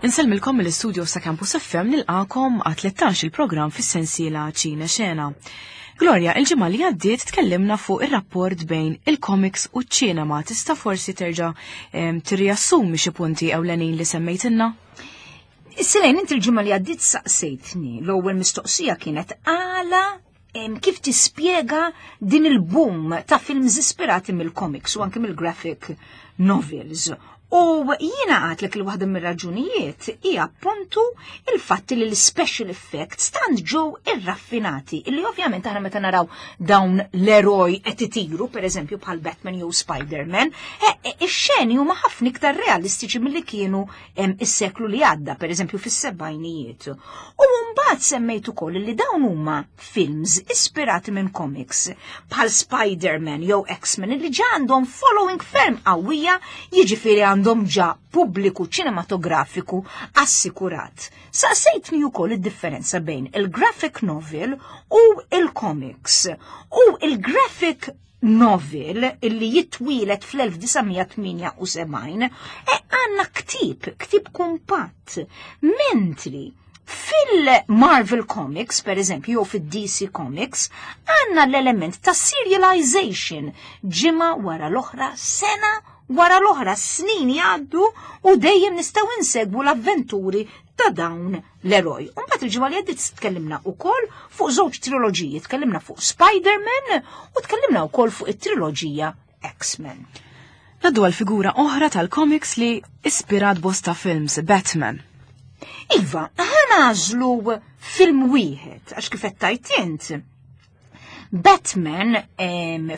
Insellmilkom mill-istudio sa' Campus FM nilqakom għat 13 il-programm fis-sensiela Ċina Xena. Gloria, il-ġimgħa li għaddiet tkellimna fuq ir-rapport bejn il-comics u ċ-ċinema. Tista' forsi terġa' tirriassumi xi punti ewlenin li semmejtilna? Selejn, inti l-ġimgħa li għaddiet saqsejtni, l-ewwel mistoqsija kienet għala kif tispjega din il-boom ta' films ispirati mill-comics u anke mill-graphic novels. U jiena għatlek li waħda mir-raġunijiet hija appuntu il-fatt li l-special effects tant ġew irraffinati, illi ovvjament aħna meta naraw dawn l-eroj qed itiru, pereżempju bħal Batman jew Spider-Man, ix-xeni huma ħafna iktar realistiċi milli kienu is-seklu li għadda, pereżempju fis-sebgħinijiet. U mbagħad semmejt ukoll li dawn huma films ispirati minn comics bħal Spider-Man jew X-Men li ġa għandhom following ferm qawwija, jiġifieri għandhom ġa pubbliku ċinematografiku assikurat. Saqsejtni wkoll id-differenza bejn il-graphic novel u il-comics. U il-graphic novel illi jitwilet fl-1978 e għanna ktib, ktib kumpatt, mentri fil-Marvel Comics, per eżempju, jew fil-DC Comics, għanna l-element ta' serialization, ġimgħa wara l-oħra, sena wara l-oħra, snin jgħaddu u dejjem nistgħu insegwu l-avventuri ta' dawn l-eroj. Umbagħad il-ġimgħa li għaddiet tkellimna wkoll fuq żewġ triloġiji, tkellimna fuq Spider-Man u tkellimna wkoll fuq it-triloġija X-Men. Naddu għal figura oħra tal-comics li ispirat bosta films, Batman. Iva, ħanażlu film wieħed, għax kif qed tajt int. Batman,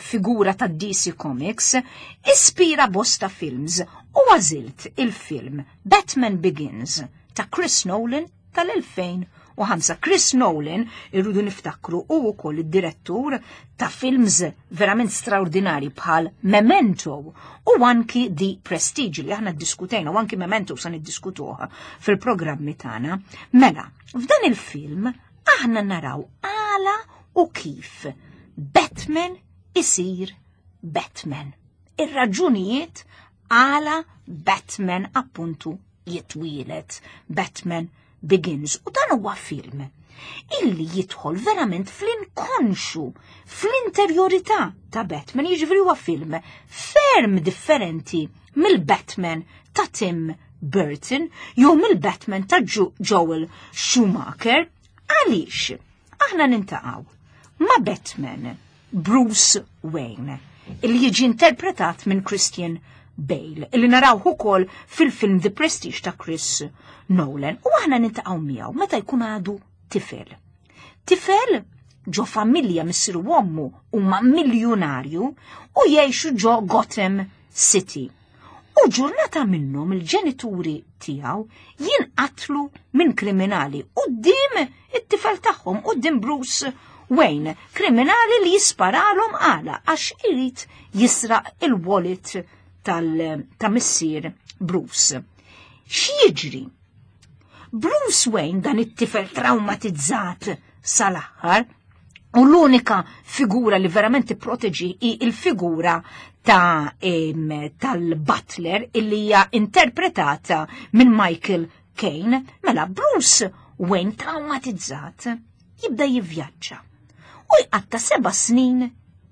figura ta' DC Comics, ispira bosta films u għażilt il-film Batman Begins ta' Chris Nolan tal-2005. Chris Nolan, irridu niftakru, u wkoll id-direttur ta' films verament straordinari bħal Memento u anki The Prestige li aħna ddiskutejna u anki Memento sa niddiskutuha fil-programmi tagħna. Mela, f'dan il-film aħna naraw għala u kif Batman isir Batman. Ir-raġunijiet għala Batman appuntu jitwielet, Batman Begins. U dan huwa film illi jidħol verament fl-inkonxu, fl-interjorità ta' Batman, jiġifieri huwa film ferm differenti mill-Batman ta' Tim Burton jew mill-Batman ta' Joel Schumacher. Għaliex aħna nintaqgħu ma' Batman Bruce Wayne, illi jiġi interpretat minn Christian Bale, illi narawh ukoll fil-film The Prestige ta' Chris Nolan, u aħna nintaqgħu miegħu meta jkun għadu tifel. Tifel ġo familja missieru u ommu huma miljunarju u jgħixu ġo Gotham City. U ġurnata minnhom il-ġenituri tiegħu jinqatlu minn kriminali quddiem it-tifel tagħhom, quddiem Bruce Wayne, kriminali li jisparalhom għala għax irid jisraq il-wallet ta' missier Bruce. X'jiġri? Bruce Wayne, dan it-tifel traumatizzat sal-aħħar, u l-unika figura li verament tipproteġi hi il-figura ta' tal-butler illi hija interpretata minn Michael Caine, mela Bruce Wayne traumatizzat jibda jivvjaġġa. U jqatta 7 snin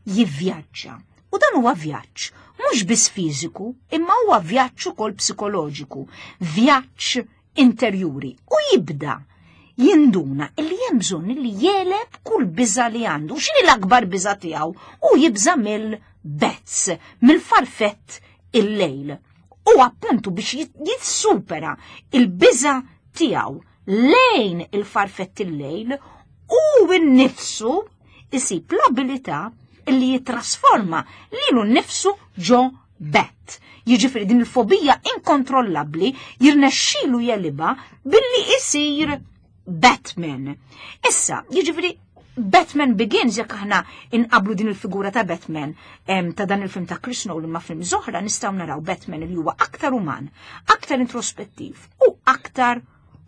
jivvjaġġa. U dan huwa vjaġġ mhux biss fiżiku, imma huwa vjaġġ ukoll psikoloġiku, vjaġġ interjuri. U jibda jinduna illi hemm bżonn li jeleb kull biża' li għandu. X'inhi l-akbar biża' tiegħu? U jibża' mill-bats, mill-farfett il-lejl. U appuntu biex jissupera il-biża' tiegħu lejn il-farfett il-lejl u nnifsu isib l-abilità illi jitrasforma lilu nnifsu ġo bat. Jiġifieri din il-fobija inkontrollabbli jirnexxilu jeliba billi isir Batman. Issa, jiġifieri Batman Begins, jekk aħna inqablu din il-figura ta' Batman ta' dan il-film ta' Chris Nolan ma' film oħra, nistgħu naraw Batman li huwa aktar uman, aktar introspettiv u aktar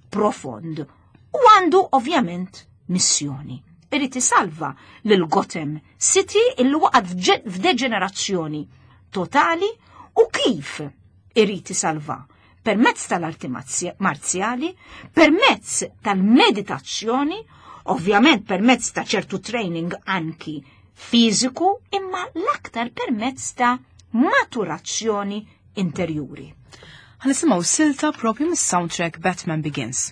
profond. U għandu ovvjament missjoni. Irid isalva lil Gotham City illi waqgħet f'deġenerazzjoni totali. U kif irid isalva? Permezz tal-arti marzjali, permezz tal-meditazzjoni, ovvjament permezz ta' ċertu training anki fiżiku, imma l-aktar permezz ta' maturazzjoni interjuri. Ħa nisimgħu silta propju mis-soundtrack Batman Begins.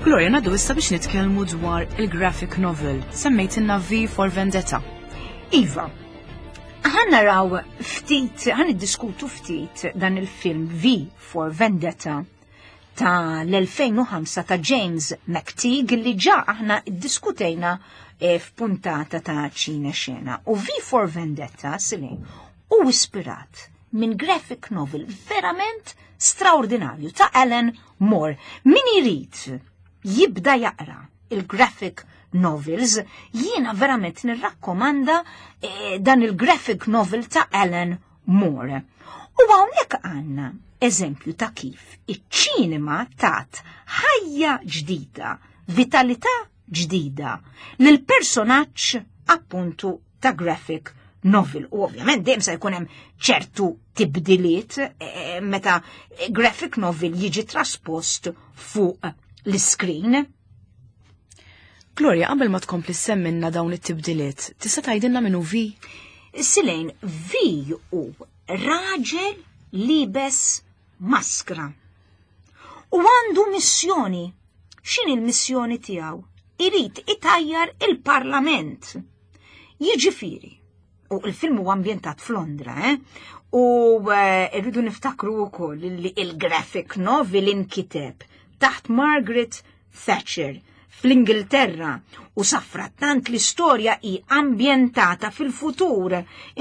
Gloria, ngħaddu issa biex nitkellmu dwar il-graphic novel. Semmejtilna V for Vendetta. Iva, ħa naraw ftit, ħa niddiskutu ftit dan il-film V for Vendetta. ta' l-2005 ta' James McTeague li ġa aħna ddiskutejna eh, f'puntata ta' ċine xena. U V for Vendetta, Silin, u ispirat minn graphic novel verament straordinarju ta' Alan Moore. Min irid jibda jaqra il-graphic novels, jiena verament nirrakkomanda eh, dan il-graphic novel ta' Alan Moore. U hawnhekk għandna eżempju ta' kif iċ-ċinema tat ħajja ġdida, vitalità ġdida lil personaġġ appuntu ta' graphic novel. U ovvjament dejjem se jkun hemm ċertu tibdiliet eh, meta graphic novel jiġi traspost fuq l-screen. Gloria, qabel ma tkompli semminna dawn it-tibdiliet, tista' tgħidilna min hu Vi? Silejn, Vi hu raġel libes maskra. U għandu missjoni. X'inhi l-missjoni tiegħu? Irid itajjar il-Parlament. Jiġifieri, u il-film huwa ambjentat f'Londra, eh? U eh, rridu niftakru wkoll li il-graphic novel inkiteb taħt Margaret Thatcher fl-Ingilterra u safrattant l-istorja hi ambjentata fil-futur,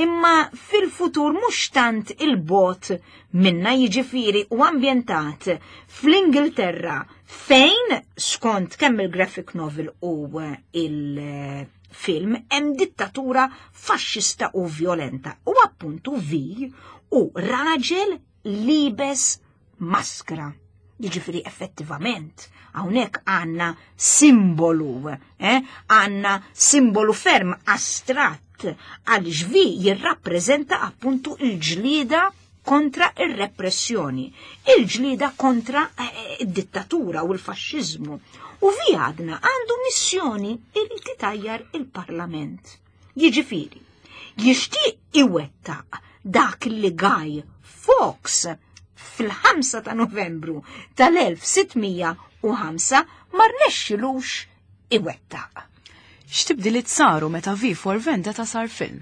imma fil-futur mhux tant il-bot minna jiġifieri u ambjentat fl-Ingilterra fejn skont kemm il-graphic novel u il-film hemm dittatura faxxista u violenta u appuntu vi u raġel libes maskra. Jiġifieri effettivament hawnhekk għandna simbolu, eh? għandna simbolu ferm astratt għaliex vi jirrappreżenta appuntu il-ġlieda kontra ir-repressjoni, il-ġlieda kontra eh, id-dittatura u l-faxxiżmu. U vi għadna għandu missjoni irid itajjar il-Parlament. Jiġifieri, jixtieq iwettaq dak li Guy Fawkes fil-5 ta' Novembru tal-1605 ma rnexxilux iwettaq. X'tibdiliet saru meta V for Vendetta sar film?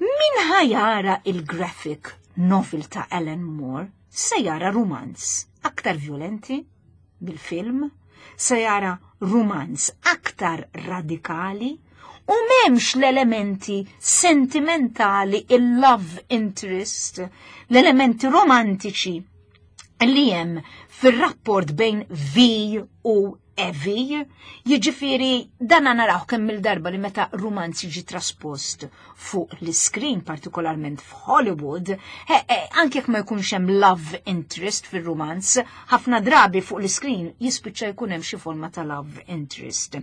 Min ħajara il-graphic novel ta' Alan Moore se jara rumanz aktar violenti bil-film, se jara rumanz aktar radikali u memx l-elementi sentimentali, il-love interest, l-elementi romantiċi li hemm fir-rapport bejn V u Evi, jiġifieri dan naraw kemm il-darba li meta rumanz jiġi traspost fuq l-iskrin, partikolarment f'Hollywood, anke jekk ma jkunx hemm love interest fir-rumanz, ħafna drabi fuq l-iskrin jispiċċa jkun hemm xi forma ta' love interest.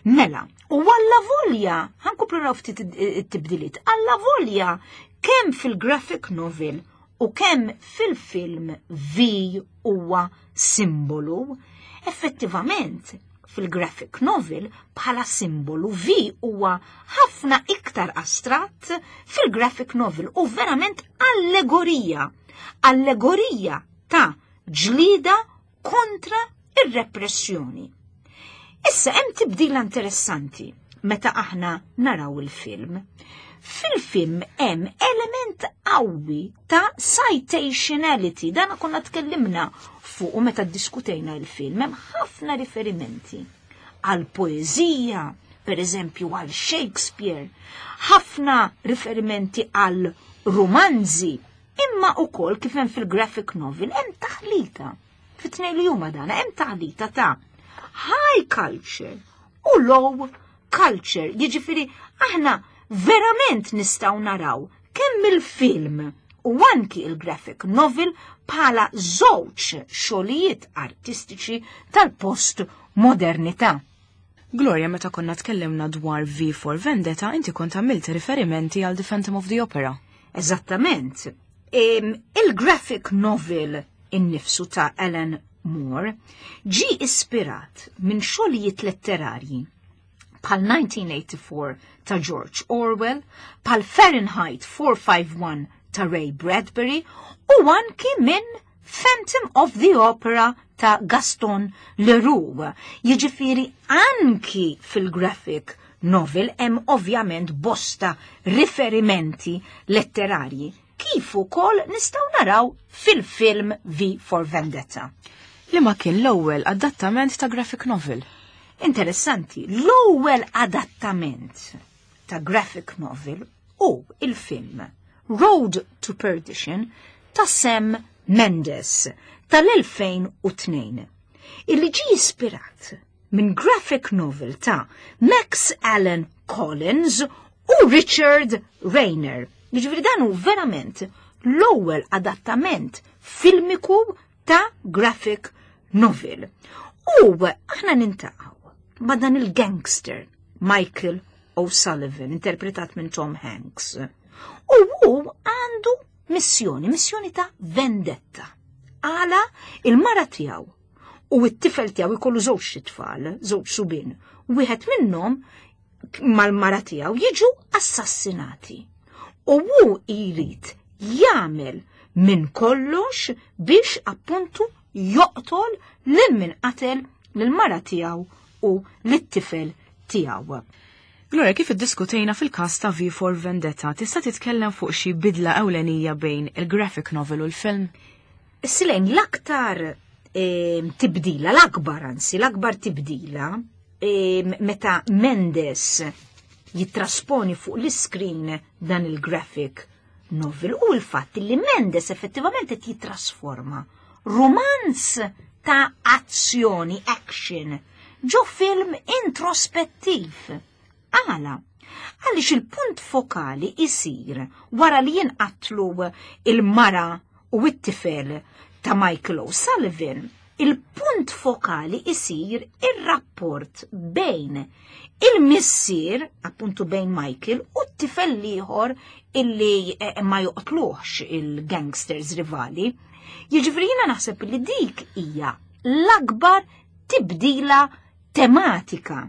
Mela, u alla volja, ħankomplu naraw ftit it-tibdiliet, alla volja kemm fil-graphic novel u kemm fil-film V huwa simbolu, effettivament fil-graphic novel bħala simbolu V huwa ħafna iktar astratt fil-graphic novel u verament allegorija. Allegorija ta' ġlida kontra ir-repressjoni. Issa hemm tibdila interessanti meta aħna naraw il-film. Fil-film hemm element qawwi ta' citationality, dan konna tkellimna fuq u meta ddiskutejna il-film, hemm ħafna riferimenti għal poeżija, per eżempju għal Shakespeare, ħafna riferimenti għal romanzi, imma ukoll kif hemm fil-graphic novel hemm taħlita. Fit-tnejn li huma dan hemm taħlita ta' high culture u low culture. Jiġifieri aħna verament nistgħu naraw kemm il-film u anki il-graphic novel bħala żewġ xogħlijiet artistiċi tal-post modernità. Gloria, meta konna tkellimna dwar V for Vendetta, inti kont għamilt riferimenti għal The Phantom of the Opera. Eżattament. Il-graphic novel innifsu ta' Alan Moore ġi ispirat minn xogħlijiet letterarji bħal 1984 ta' George Orwell, bħal Fahrenheit 451 ta' Ray Bradbury u anki minn Phantom of the Opera ta' Gaston Leroux. Jiġifieri anki fil-graphic novel hemm ovvjament bosta riferimenti letterarji kif ukoll nistgħu naraw fil-film V for Vendetta. Liema kien l-ewwel adattament ta' graphic novel? Interessanti, l-ewwel adattament ta' graphic novel hu il-film Road to Perdition ta' Sam Mendes tal-2002, illi ġie ispirat minn graphic novel ta' Max Allan Collins u Richard Rayner. Jiġifieri dan hu verament l-ewwel adattament filmiku ta' graphic novel. U aħna nintaqgħu ma' dan il-gangster Michael O'Sullivan, interpretat minn Tom Hanks. U hu għandu missjoni, missjoni ta' vendetta. Għala il-mara tiegħu u t-tifel tiegħu jkollu żewġ tfal, żewġ subien. Wieħed minnhom mal-mara tiegħu jiġu assassinati. U hu jrid jagħmel minn kollox biex appuntu joqtol lil min qatel lill-mara tiegħu u lit-tifel tiegħu. Gloria, kif iddiskutejna fil-każ ta' V for Vendetta, tista' titkellem fuq xi bidla ewlenija bejn il-graphic novel u l-film? Silejn, l-aktar eh, tibdila, l-akbar anzi, l-akbar tibdila eh, meta Mendes jittrasponi fuq l-iskrin dan il-graphic novel u l-fatt li Mendes effettivament qed jitrasforma romanz ta' azzjoni, action, ġo film introspettiv. Għala? Għaliex il-punt fokali isir wara li jinqatlu il-mara u t-tifel ta' Michael O'Sullivan, il-punt fokali isir ir-rapport bejn il-missier, appuntu bejn Michael, u t-tifel l-ieħor illi eh, ma joqtluħx il-gangsters rivali. Jiġifieri jiena naħseb li dik hija l-akbar tibdila tematika.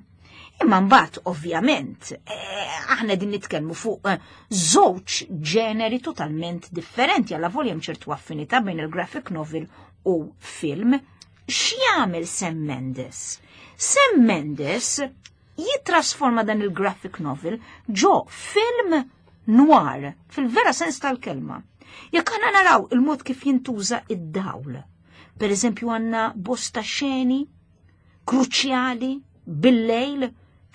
Imma mbagħad ovvjament eh, aħna din nitkellmu fuq eh, żewġ ġeneri totalment differenti għal volja hemm ċertu affinità bejn il-graphic novel u film. X'jagħmel Sam Mendes? Sam Mendes jittrasforma dan il-graphic novel ġo film noir, fil-vera sens tal-kelma. Jekk aħna naraw il-mod kif jintuża id-dawl. Per eżempju għandna bosta xeni kruċjali bil-lejl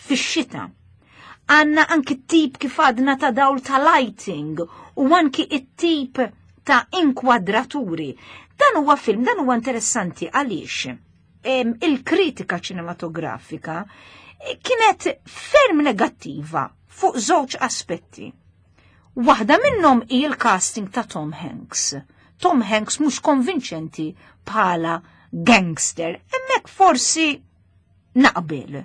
fix-xita. Għanna anki tip kif għadna ta' dawl ta' lighting u anki it-tip ta' inkwadraturi. Dan huwa film, dan huwa interessanti għaliex il-kritika ċinematografika kienet ferm negattiva fuq żewġ aspetti. Waħda minnhom hi l-casting ta' Tom Hanks. Tom Hanks mhux konvinċenti bħala gangster, hemmhekk forsi naqbel.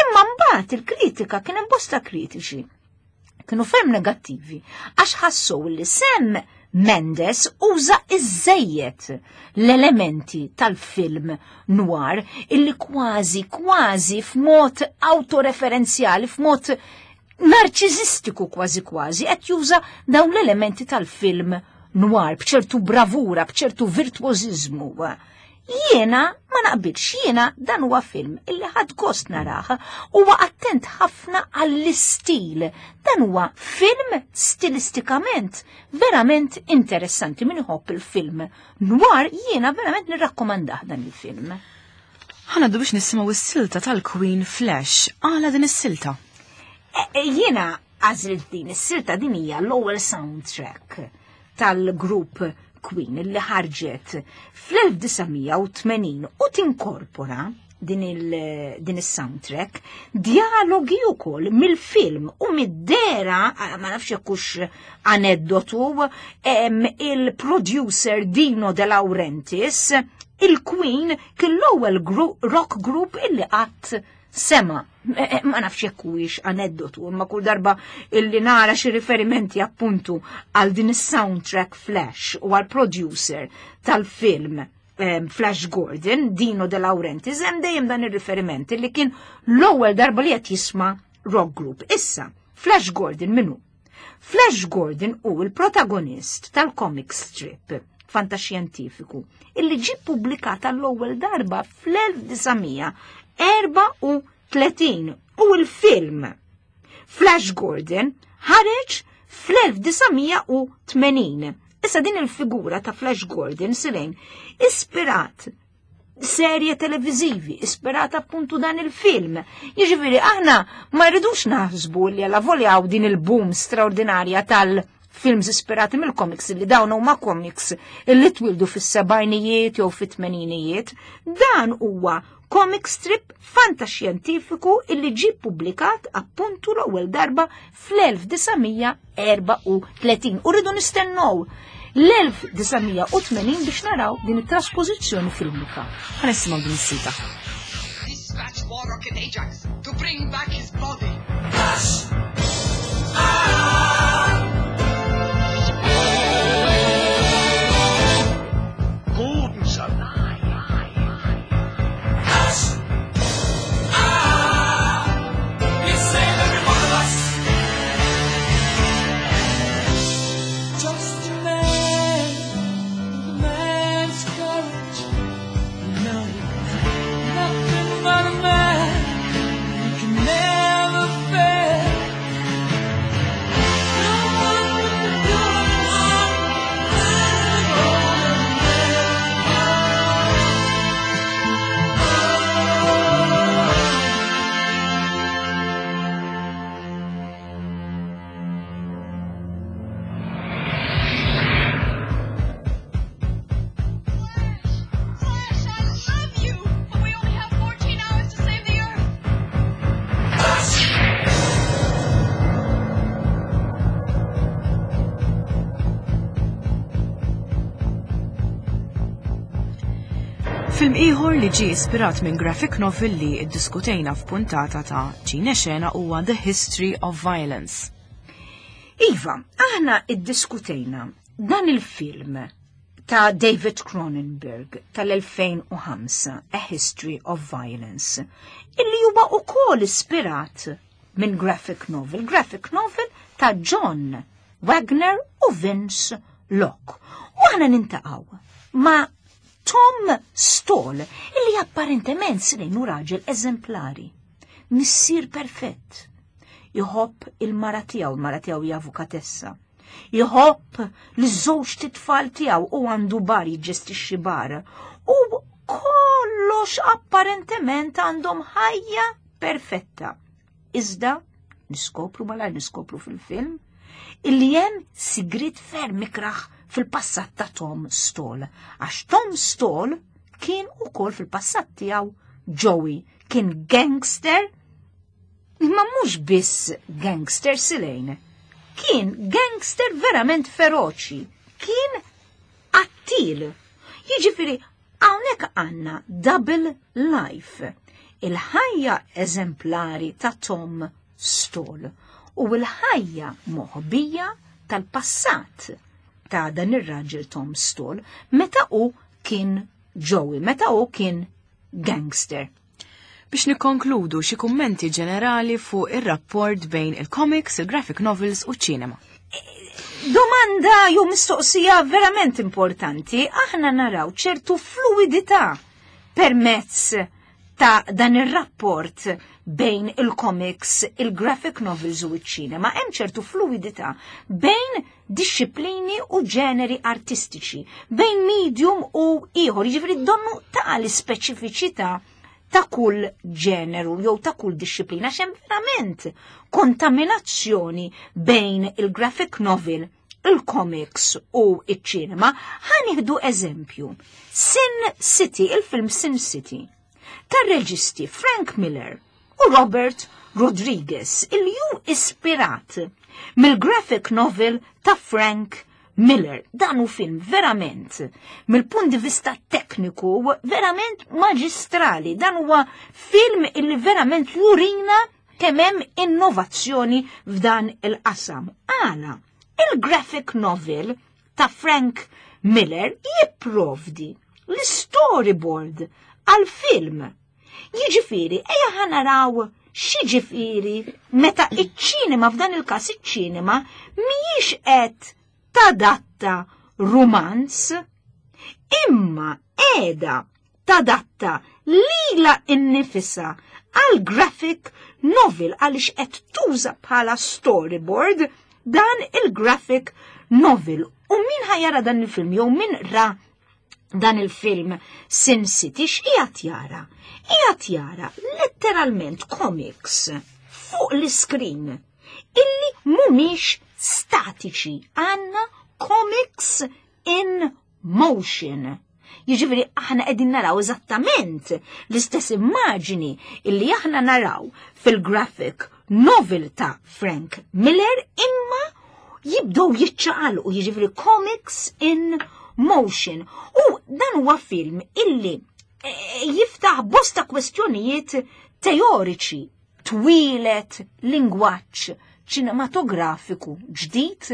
Imma mbagħad il-kritika kien hemm bosta kritiċi. Kienu ferm negattivi għax ħassu li Sam Mendes uża iżejjed l-elementi tal-film noir illi kważi kważi f'mod autoreferenzjali, f'mod narċiżistiku kważi kważi qed juża dawn l-elementi tal-film noir b'ċertu bravura, b'ċertu virtuożiżmu. Jiena ma naqbilx, jiena dan huwa film illi ħadd gost narah, huwa attent ħafna għall-istil. Dan huwa film stilistikament verament interessanti min iħobb il-film noir jiena verament nirrakkomandah dan il-film. Ħanaddu biex nisimgħu s-silta tal-Queen Flash. Għala din is-silta? E, e, jiena għażilt din is-silta din hija l-ewwel soundtrack tal-grupp Queen li ħarġet fl-1980 u tinkorpora din il-soundtrack dialogi wkoll mill-film u mid-dera, ma nafx jekk hux aneddotu, il-producer Dino De Laurentiis, il-Queen kien l-ewwel rock group illi qatt sema. Eh, eh, ma nafx jekk huwiex aneddotu, imma kull darba illi nara xi riferimenti appuntu għal din is-soundtrack Flash u għal producer tal-film Flash Gordon, Dino De Laurentiis, hemm dejjem dan ir-riferiment li kien l-ewwel darba li qed jisma' rock group. Issa, Flash Gordon minnu? Flash Gordon hu l-protagonist tal-comic strip fantaxjentifiku illi ġie ppubblikat għall-ewwel darba fl-1934 u l-film Flash Gordon ħareġ fl-1980. Issa din il-figura ta' Flash Gordon silejn ispirat serje televizivi, ispirata appuntu dan il-film. Jiġifieri aħna ma rridux naħsbu li għala volja din il-boom straordinarja tal-films ispirati mill-comics li dawn huma comics illi twildu fis-sebgħinijiet jew fit-tmeninijiet, dan huwa comic strip fantaxjentifiku illi ġie ppubblikat appuntu l-ewwel darba fl-1934 u rridu nistennew l-1980 biex naraw din it-traspożizzjoni filmika. Ħa nisimgħu din is-silta. Dispatch War Rocket Ajax to bring back his body. Gordon's alive. You save every one of us. Just a man, with a man's courage. No, nothing but a man. He can never fail. No one can do it. Flash, I love you, but we only have 14 hours to save the Earth. Film ieħor li ġie ispirat minn graphic novel li ddiskutejna f'puntata ta' Ċine Xena huwa The History of Violence. Iva, aħna iddiskutejna dan il-film ta' David Cronenberg tal-2005, A History of Violence, illi huwa ukoll ispirat minn graphic novel, graphic novel ta' John Wagner u Vince Locke. U aħna nintaqgħu ma' Tom Stall, illi apparentement silejnu raġel eżemplari, missier perfett. Jħobb il-mara tiegħu, il-mara tiegħu hija avukatessa. Jħobb li żewġ titfal tiegħu u għandu bar jiġġestixxi bar. U kollox apparentement għandhom ħajja perfetta. Iżda niskopru malajr niskopru fil-film illi hemm sigriet ferm ikraħ fil-passat ta' Tom Stall. Għax Tom Stall kien ukoll fil-passat tiegħu Joey, kien gangster, imma mhux biss gangster silejn. Kien gangster verament feroċi, kien qattil. Jiġifieri hawnhekk għandna double life. Il-ħajja eżemplari ta' Tom Stall u l-ħajja moħbija tal-passat ta' dan ir-raġel Tom Stall meta hu kien Joey, meta hu kien gangster. Biex nikkonkludu xi kummenti ġenerali fuq ir-rapport bejn il-comics, il-graphic novels u ċ-ċinema. Domanda jew mistoqsija verament importanti, aħna naraw ċertu fluidità permezz ta' dan ir-rapport bejn il-comics, il-graphic novels u ċ-ċinema. Hemm ċertu fluidità bejn disċiplini u ġeneri artistiċi, bejn medium u ieħor, jiġifieri donnu ta' l-ispeċifiċità ta' kull ġeneru jew ta' kull disċiplina, għax hemm verament kontaminazzjoni bejn il-graphic novel, il-comics u iċ-ċinema. Ħa nieħdu eżempju. Sin City, il-film Sin City, tar-reġisti Frank Miller u Robert Rodriguez, il ju ispirat mill-graphic novel ta' Frank Miller. Dan hu film verament, mill-punt di vista tekniku, verament maġistrali. Dan huwa film illi verament jurina kemm hemm innovazzjoni f'dan il-qasam. Għala, il-graphic novel ta' Frank Miller jipprovdi l-storyboard għal-film. Jiġifieri, ejja ħa naraw x'jiġifieri meta iċ-ċinema, f'dan il-każ iċ-ċinema, mhijiex qed tadatta rumanz, imma qiegħda tadatta lila innifisha għal graphic novel għaliex qed tuża bħala storyboard dan il-graphic novel. U min ħa jara dan il-film jew min ra dan il-film Sin City x'qiegħed jara? Qiegħed jara letteralment comics fuq l-iskrin illi mhumiex statiċi, għandna comics in motion. Jiġifieri aħna qegħdin naraw eżattament l-istess immaġini illi aħna naraw fil-graphic novel ta' Frank Miller imma jibdew jiċċaqalqu, jiġifieri comics in motion. U dan huwa film illi eh, jiftaħ bosta kwestjonijiet teoriċi twieled lingwaġġ ċinematografiku ġdid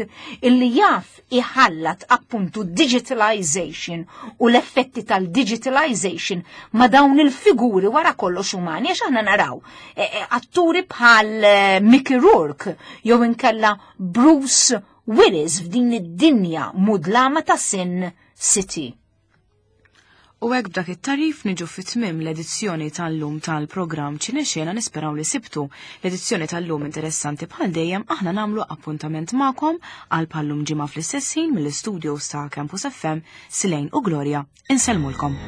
illi jaf iħallat appuntu digitalization u l-effetti tal-digitalization ma dawn il-figuri wara kollox umani għax aħna naraw eh, eh, atturi bħal eh, Mickey Rourke jew inkella Bruce Willis f'din id-dinja mudlama ta' Sin City. U hekk b'dak it-tarif niġu fi tmiem l-edizzjoni tal-lum tal-programm Ċinexena nisperaw li sibtu. L-edizzjoni tal-lum interessanti bħal dejjem aħna nagħmlu appuntament magħkom għal bħallum ġimgħa fl-istess ħin mill-istudios ta' Campus FM, Silejn u Gloria. Insellmulkom.